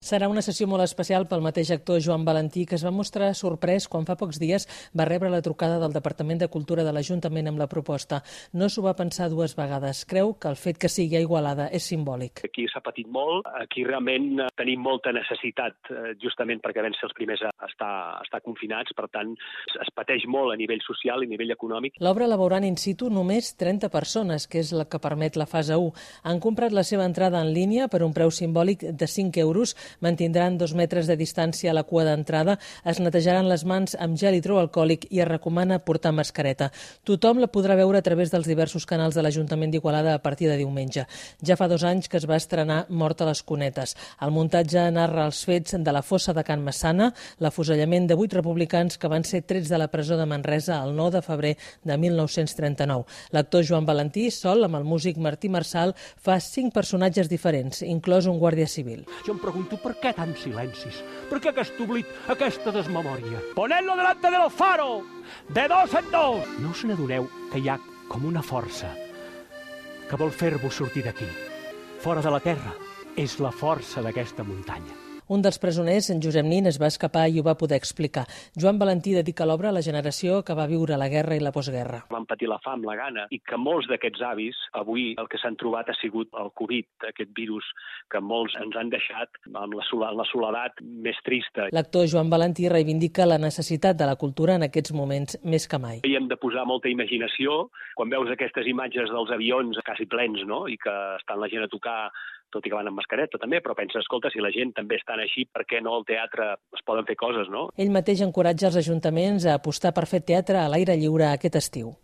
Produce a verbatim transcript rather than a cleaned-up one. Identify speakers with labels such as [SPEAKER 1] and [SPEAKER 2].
[SPEAKER 1] Serà una sessió molt especial pel mateix actor Joan Valentí, que es va mostrar sorprès quan fa pocs dies va rebre la trucada del Departament de Cultura de l'Ajuntament amb la proposta. No s'ho va pensar dues vegades. Creu que el fet que sigui a Igualada és simbòlic.
[SPEAKER 2] Aquí s'ha patit molt, aquí realment tenim molta necessitat, justament perquè vam ser els primers a estar, a estar confinats, per tant es pateix molt a nivell social i a nivell econòmic.
[SPEAKER 1] L'obra la veuran in situ només trenta persones, que és la que permet la fase u. Han comprat la seva entrada en línia per un preu simbòlic de cinc euros, mantindran dos metres de distància a la cua d'entrada, es netejaran les mans amb gel hidroalcohòlic i es recomana portar mascareta. Tothom la podrà veure a través dels diversos canals de l'Ajuntament d'Igualada a partir de diumenge. Ja fa dos anys que es va estrenar Mort a les Cunetes. El muntatge narra els fets de la fossa de Can Massana, l'afusellament de vuit republicans que van ser trets de la presó de Manresa el nou de febrer de mil nou-cents trenta-nou. L'actor Joan Valentí, sol amb el músic Martí Marçal, fa cinc personatges diferents, inclòs un guàrdia civil.
[SPEAKER 3] Jo em pregunto per què tants silencis, per què aquest oblit, aquesta desmemòria. Ponedlo delante del faro, de dos en dos. No us n'adoneu que hi ha com una força que vol fer-vos sortir d'aquí, fora de la terra. És la força d'aquesta muntanya.
[SPEAKER 1] Un dels presoners, en Josep Nin, es va escapar i ho va poder explicar. Joan Valentí dedica l'obra a la generació que va viure la guerra i la postguerra.
[SPEAKER 2] Van patir la fam, la gana, i que molts d'aquests avis, avui el que s'han trobat ha sigut el Covid, aquest virus que molts ens han deixat amb la, la soledat més trista.
[SPEAKER 1] L'actor Joan Valentí reivindica la necessitat de la cultura en aquests moments més que mai.
[SPEAKER 2] I hem de posar molta imaginació quan veus aquestes imatges dels avions quasi plens, no?, i que estan la gent a tocar, tot i que van amb mascareta també, però pensa, escolta, si la gent també estan així, per què no al teatre es poden fer coses, no?
[SPEAKER 1] Ell mateix encoratja els ajuntaments a apostar per fer teatre a l'aire lliure aquest estiu.